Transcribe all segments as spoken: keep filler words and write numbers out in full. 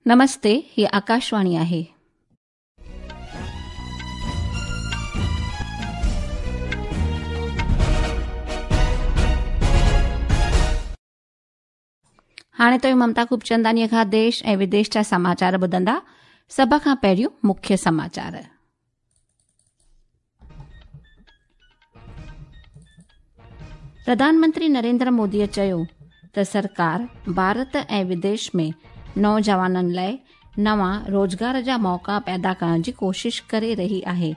नमस्ते, ही आकाशवाणी आहे. हाणे तव्हीं ममता खूबचंदानीअ खां देश ऐं विदेश जा समाचार ॿुधंदा. सभ खां पहिरियों मुख्य समाचार. प्रधानमंत्री नरेंद्र मोदीअ चयो त सरकार भारत ऐं विदेश में नौजवाननि लाइ नवां रोज़गार जा मौक़ा पैदा करण जी कोशिश करे रही आहे.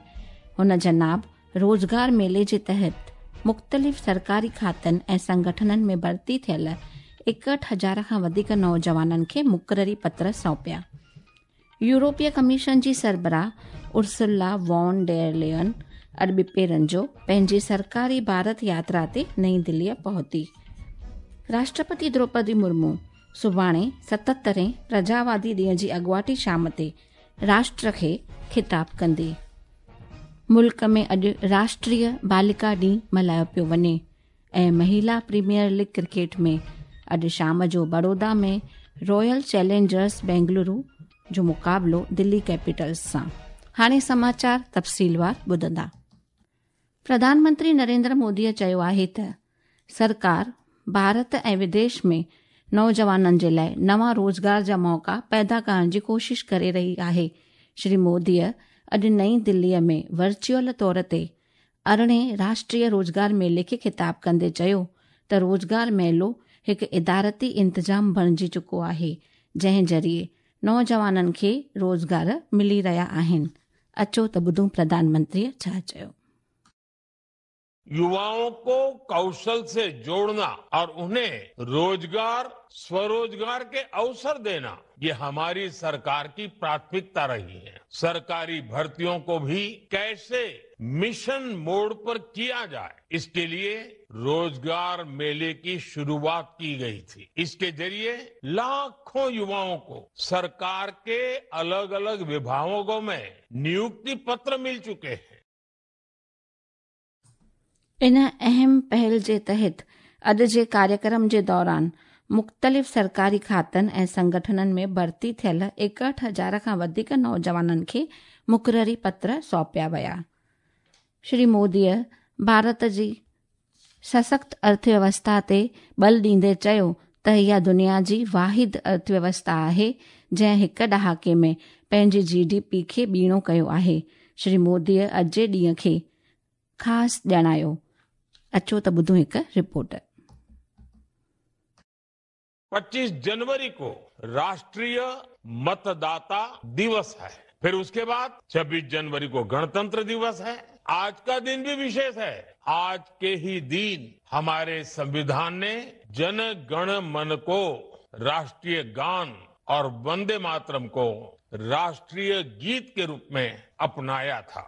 हुन जनाब रोज़गार मेले जे तहत मुख़्तलिफ़ सरकारी खातनि ऐं संगठननि में भर्ती थियल एकहठि हज़ार खां वधीक नौजवाननि खे मुक़ररी पत्र सौंपिया. यूरोपीय कमीशन जी सरबराह उर्सुला वॉन डेर लेयन अॼु ॿिपहरनि जो पंहिंजी सरकारी भारत यात्रा ते नई दिल्लीअ पहुती. राष्ट्रपति द्रौपदी मुर्मू सुभाणे सतहतरें प्रजावादी ॾींहं जी अॻुवाटी शाम ते राष्ट्र खे ख़िताब कंदी. मुल्क में अॼु राष्ट्रीय बालिका ॾींहुं मल्हायो पियो वञे ऐं महिला प्रीमियर लीग क्रिकेट में अॼु शाम जो बड़ौदा में रॉयल चैलेंजर्स बेंगलुरु जो मुक़ाबिलो दिल्ली कैपिटल्स सां. हाणे समाचार तफ़सीलवार ॿुधंदा. प्रधानमंत्री नरेंद्र मोदीअ चयो आहे त सरकार भारत ऐं विदेश में नौजवाननि जे लाइ नवां रोज़गार जा मौक़ा पैदा करण जी कोशिश करे रही आहे. श्री मोदीअ अॼु नई दिल्लीअ में वर्चुअल तौर ते अरिड़हें राष्ट्रीय रोज़गार मेले खे ख़िताब कंदे चयो त रोज़गार मेलो हिकु इदारती इंतज़ाम बणिजी चुको आहे, जंहिं ज़रिए नौजवाननि खे रोज़गार मिली रहिया आहिनि. अचो त ॿुधूं प्रधानमंत्रीअ छा चयो. युवाओं को कौशल से जोड़ना और उन्हें रोजगार स्वरोजगार के अवसर देना, ये हमारी सरकार की प्राथमिकता रही है. सरकारी भर्तियों को भी कैसे मिशन मोड पर किया जाए, इसके लिए रोजगार मेले की शुरुआत की गई थी. इसके जरिए लाखों युवाओं को सरकार के अलग अलग विभागों में नियुक्ति पत्र मिल चुके हैं. इन अहम पहल जे तहत अॼु जे कार्यक्रम जे दौरान मुख़्तलिफ़ सरकारी खातनि ऐं संगठननि में भर्ती थियल एकहठि हज़ार खां वधीक नौजवाननि खे मुक़ररी पत्र सौंपिया विया. श्री मोदीअ भारत जी सशक्त अर्थव्यवस्था ते बल ॾींदे चयो त इहा दुनिया जी वाहिद अर्थव्यवस्था आहे जंहिं हिकु ॾहाके में पंहिंजी जी डी पी खे ॿीणो कयो आहे. श्री मोदीअ अॼु जे ॾींहं खे ख़ासि ॼाणायो. अचो त ॿुधूं हिकु रिपोर्ट. पच्चीस जनवरी को राष्ट्रीय मतदाता दिवस है, फिर उसके बाद छब्बीस जनवरी को गणतंत्र दिवस है. आज का दिन भी विशेष है. आज के ही दिन हमारे संविधान ने जन गण मन को राष्ट्रीय गान और वंदे मातरम को राष्ट्रीय गीत के रूप में अपनाया था.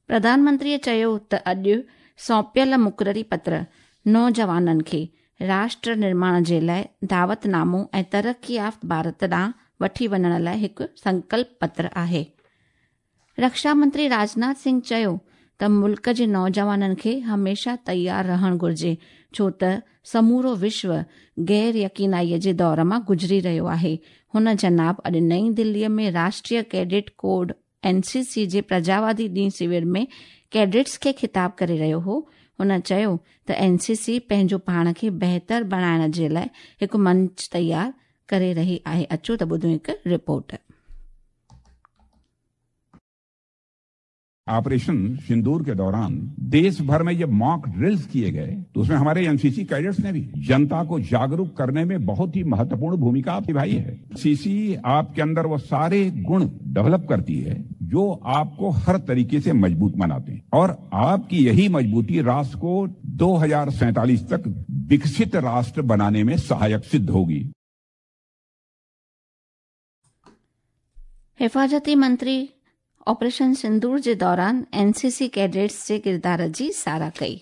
प्रधानमंत्रीअ चयो त अॼु सौंपियल मुक़ररी पत्र नौजवाननि खे राष्ट्र निर्माण जे लाइ दावतनामो ऐं तरक़ी याफ़्त भारत ॾांहुं वठी वञण लाइ हिकु संकल्प पत्र आहे. रक्षा मंत्री राजनाथ सिंह चयो त मुल्क जे नौजवाननि खे हमेशह तयारु रहणु घुरिजे, छो त समूरो विश्व गैर यकीनाईअ जे दौर मां गुज़री रहियो आहे. हुन जनाब अॼु नई दिल्लीअ में राष्ट्रीय कैडेट कोड एन सी सी जे प्रजावादी ॾींहुं शिविर में कैडेट्स खे ख़िताब करे रहियो हो. हुन चयो त एन सी सी पंहिंजो पाण खे बहितर बणाइण जे लाइ हिकु मंच तयारु करे रही आहे. अचो त ॿुधूं हिकु रिपोर्ट. ऑपरेशन सिंदूर के दौरान देश भर में जब मॉक ड्रिल्स किए गए तो उसमें हमारे एनसीसी कैडेट्स ने भी जनता को जागरूक करने में बहुत ही महत्वपूर्ण भूमिका निभाई है. एनसीसी आपके अंदर वो सारे गुण डेवलप करती है जो आपको हर तरीके से मजबूत बनाते हैं और आपकी यही मजबूती राष्ट्र को दो हजार सैंतालीस तक विकसित राष्ट्र बनाने में सहायक सिद्ध होगी. हिफाज़ती मंत्री ऑपरेशन सिंदूर जे दौरान एन सी सी कैडेट्स जे किरदार जी साराह कई.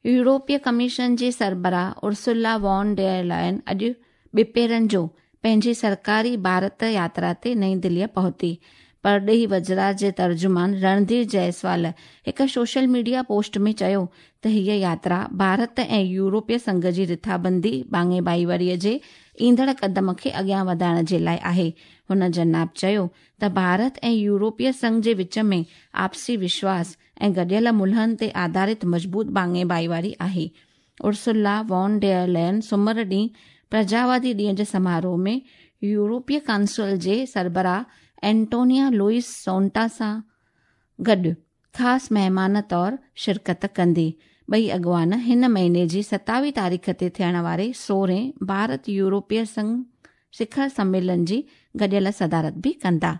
यूरोपीय कमीशन जी सरबराह उर्सुला वॉन डेर लायन अॼु ॿिपहरनि जो पंहिंजी सरकारी भारत यात्रा ते नई दिल्लीअ पहुती. परॾेही वज़रात जे तर्जुमान रणधीर जायसवाल हिकु सोशल मीडिया पोस्ट में चयो त हीअ यात्रा भारत ऐं यूरोपीय संघ जी रिथाबंदी भाङे भाईवारीअ जे ईंदड़ क़दम खे अॻियां वधाइण जे लाइ आहे। हुन जनाब चयो त भारत ऐं यूरोपीय संघ जे विच में आपसी विश्वास ऐं गॾियल मुल्हनि ते आधारित मज़बूत भाङे भाईवारी आहे। उर्सुला वॉन डेयर लेयन सुमर ॾींहुं प्रजावादी ॾींहं जे समारोह में यूरोपीय काउंसिल जे सरबराह एंटोनिया लुइस सोंटा सां गॾु ख़ासि महिमान तौरु शिरकत कंदी। ॿई अॻवान हिन महीने जी सतावीह तारीख़ ते थियण वारे सोरहें भारत यूरोपीय संघ शिखर सम्मेलन जी गॾियल सदारत बि कंदा।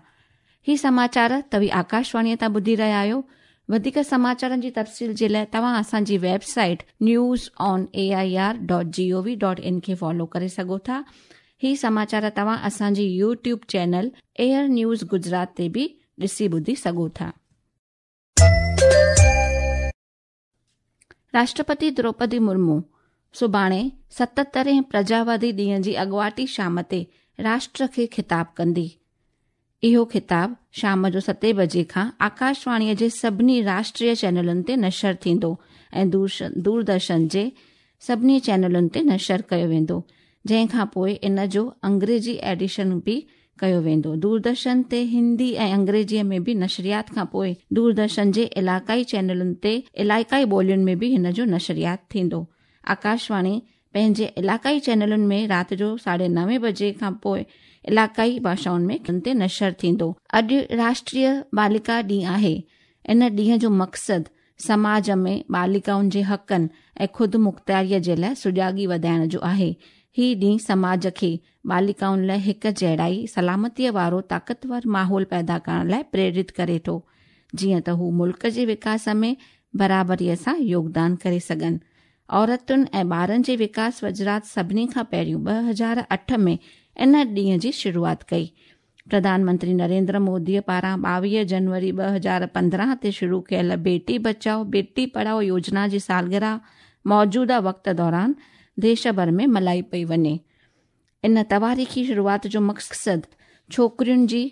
ही समाचार तव्हीं आकाशवाणीअ तां ॿुधी रहिया आहियो। वधीक समाचारनि जी तफ़सील जे लाइ तव्हां असांजी website news on A I R dot G O V dot in खे फॉलो करे सघो था। ही समाचार तव्हां असांजी YouTube channel AIR news Gujarat ते बि ॾिसी ॿुधी सघो था। राष्ट्रपति द्रौपदी मुर्मू सुभाणे सतहतरें प्रजावादी ॾींहं जी अॻुवाटी शाम ते राष्ट्र खे ख़िताब कंदी। इहो ख़िताब शाम जो सते बजे खां आकाशवाणीअ जे सभिनी राष्ट्रीय चैनलुनि ते नशर थींदो ऐं दूरदर्शन जे सभिनी चैनलुनि ते नशर कयो वेंदो, जंहिं खां पोइ इन जो अंग्रेजी एडिशन बि कयो वेंदो। दूरदर्शन ते हिंदी ऐं अंग्रेजीअ में बि नशरियात खां पोइ दूरदर्शन जे इलाइक़ाई चैनलुनि ते इलाइक़ाई ॿोलियुनि में बि हिन जो नशरियात थींदो। आकाशवाणी पंहिंजे इलाइक़ाई चैनलुनि में राति जो साढे नवे बजे खां पोइ इलाइक़ाई भाषाउनि में ते नशर थींदो। अॼु राष्ट्रीय बालिका ॾींहुं आहे। इन ॾींहं जो मक़सदु समाज में बालिकाउनि जे हक़नि ऐं ख़ुदि मुख़्तियारीअ जे लाइ सुजागी वधाइण जो आहे। ही ॾींहुं समाज खे बालिकाउनि लाइ हिकु जहिड़ाई सलामतीअ वारो ताक़तवर माहौल पैदा करण लाइ प्रेरित करे थो, जीअं त हू मुल्क जे विकास में बराबरीअ सां योगदान करे सघनि। औरतुनि ऐं ॿारनि जे विकास वज़ारत सभिनी खां पहिरियों ॿ हज़ार अठ में इन ॾींहं जी शुरूआत कई। प्रधानमंत्री नरेंद्र मोदीअ पारां ॿावीह जनवरी ॿ हज़ार पंद्रहं ते शुरू कयल बेटी बचाओ बेटी पढ़ाओ योजना जी सालगिरह मौजूदा वक़्त दौरान देश भर में मल्हाई पई वञे। इन तवारीख़ी शुरूआत जो मक़सदु छोकिरियुनि जी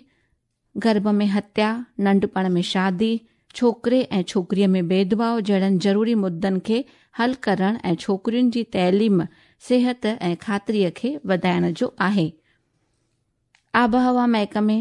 गर्भ में हत्या, नंढपण में शादी, छोकिरे ऐं छोकिरीअ में भेदभाव जहिड़नि ज़रूरी मुद्दनि खे हल करण ऐं छोकिरियुनि जी तइलीम, सिहत ऐं ख़ातिरीअ खे वधाइण जो आहे। आबहवा महकमे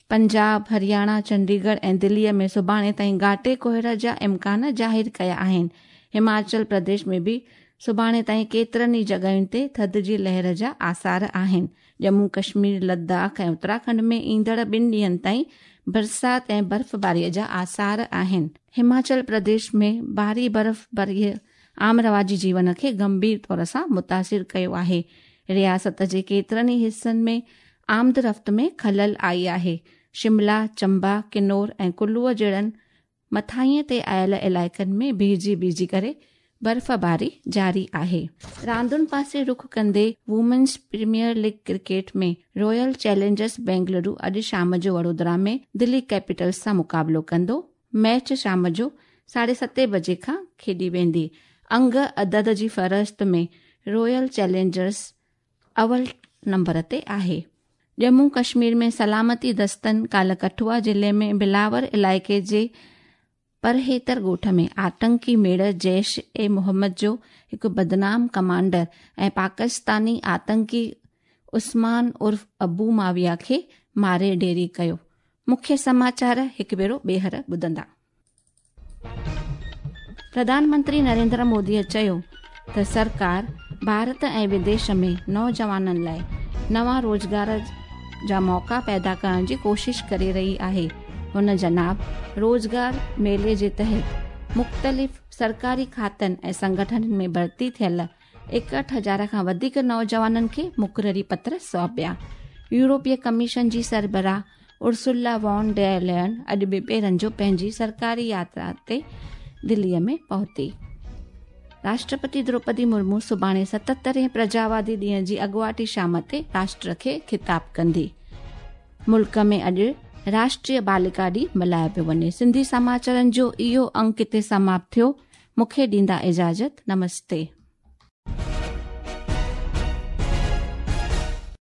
पंजाब, हरियाणा, चंडीगढ़ ऐं दिल्लीअ में सुभाणे ताईं घाटे कोहरा जा इम्कान ज़ाहिर कया आहिनि। हिमाचल प्रदेश में बि सुभाणे ताईं केतिरनि ई जॻहियुनि ते थधि जी लहर जा आसार आहिनि। जम्मू कश्मीर, लद्दाख ऐं उत्तराखंड में ईंदड़ ॿिनि ॾींहंनि ताईं बरसात ऐं बर्फ़बारीअ जा आसार आहिनि। हिमाचल प्रदेश में भारी बर्फ़बारीअ आम रवाजी जीवन खे गंभीर तौर सां मुतासिर कयो आहे। रियासत जे केतिरनि ई हिसनि में आमद रफ़्त में ख़लल आई आहे। शिमला, चंबा, किन्नौर ऐं कुल्लूअ जहिड़नि मथाईं ते आयल इलाइक़नि में बीहिजी बीहिजी करे बर्फ़बारी जारी आहे। रांदुनि पासे रुख कंदे women's premier league cricket में रॉयल चैलेंजर्स बेंगलुरु अॼु शाम जो वडोदरा में दिल्ली कैपिटल्स सां मुक़ाबिलो कंदो। मैच शाम जो साढे सते बजे खां खेॾी वेंदी। अंग अदद जी फ़हरिस्त में रॉयल चैलेंजर्स अवल नंबर ते आहे। जम्मू कश्मीर में सलामती दस्तनि काल्ह कठुआ ज़िले में बिलावर इलाइक़े जे परहेतर ॻोठ में आतंकी मेड़ जैश ए मोहम्मद जो हिकु बदनाम कमांडर ऐं पाकिस्तानी आतंकी उस्मान उर्फ़ अबू माविया खे मारे ढेरी कयो। मुख्य समाचार हिकु भेरो ॿीहर ॿुधंदा। प्रधानमंत्री नरेंद्र मोदीअ चयो त सरकार भारत ऐं विदेश में नौजवाननि लाइ नवां रोज़गार जा मौक़ा पैदा करण जी कोशिश करे रही आहे। हुन जनाब रोज़गार मेले जे तहत मुख़्तलिफ़ सरकारी खातनि ऐं संगठननि में भर्ती थियल एकहठि हज़ार खां वधीक नौजवाननि खे मुक़ररी पत्र सौंपिया। यूरोपीय कमीशन जी सरबराह उर्सुला वॉन डेयर लेयन अॼु ॿिपहरनि जो पंहिंजी सरकारी यात्रा ते दिल्लीअ में पहुती। राष्ट्रपति द्रौपदी मुर्मू सुभाणे सतहतरें प्रजावादी ॾींहं जी अॻुवाटी शाम ते राष्ट्र खे ख़िताब कंदी। मुल्क में अॼु राष्ट्रीय बालिका ॾींहुं मल्हायो पियो वञे। सिंधी समाचारनि जो इहो अंक हिते समाप्त थियो। मूंखे ॾींदा इजाज़त। नमस्ते।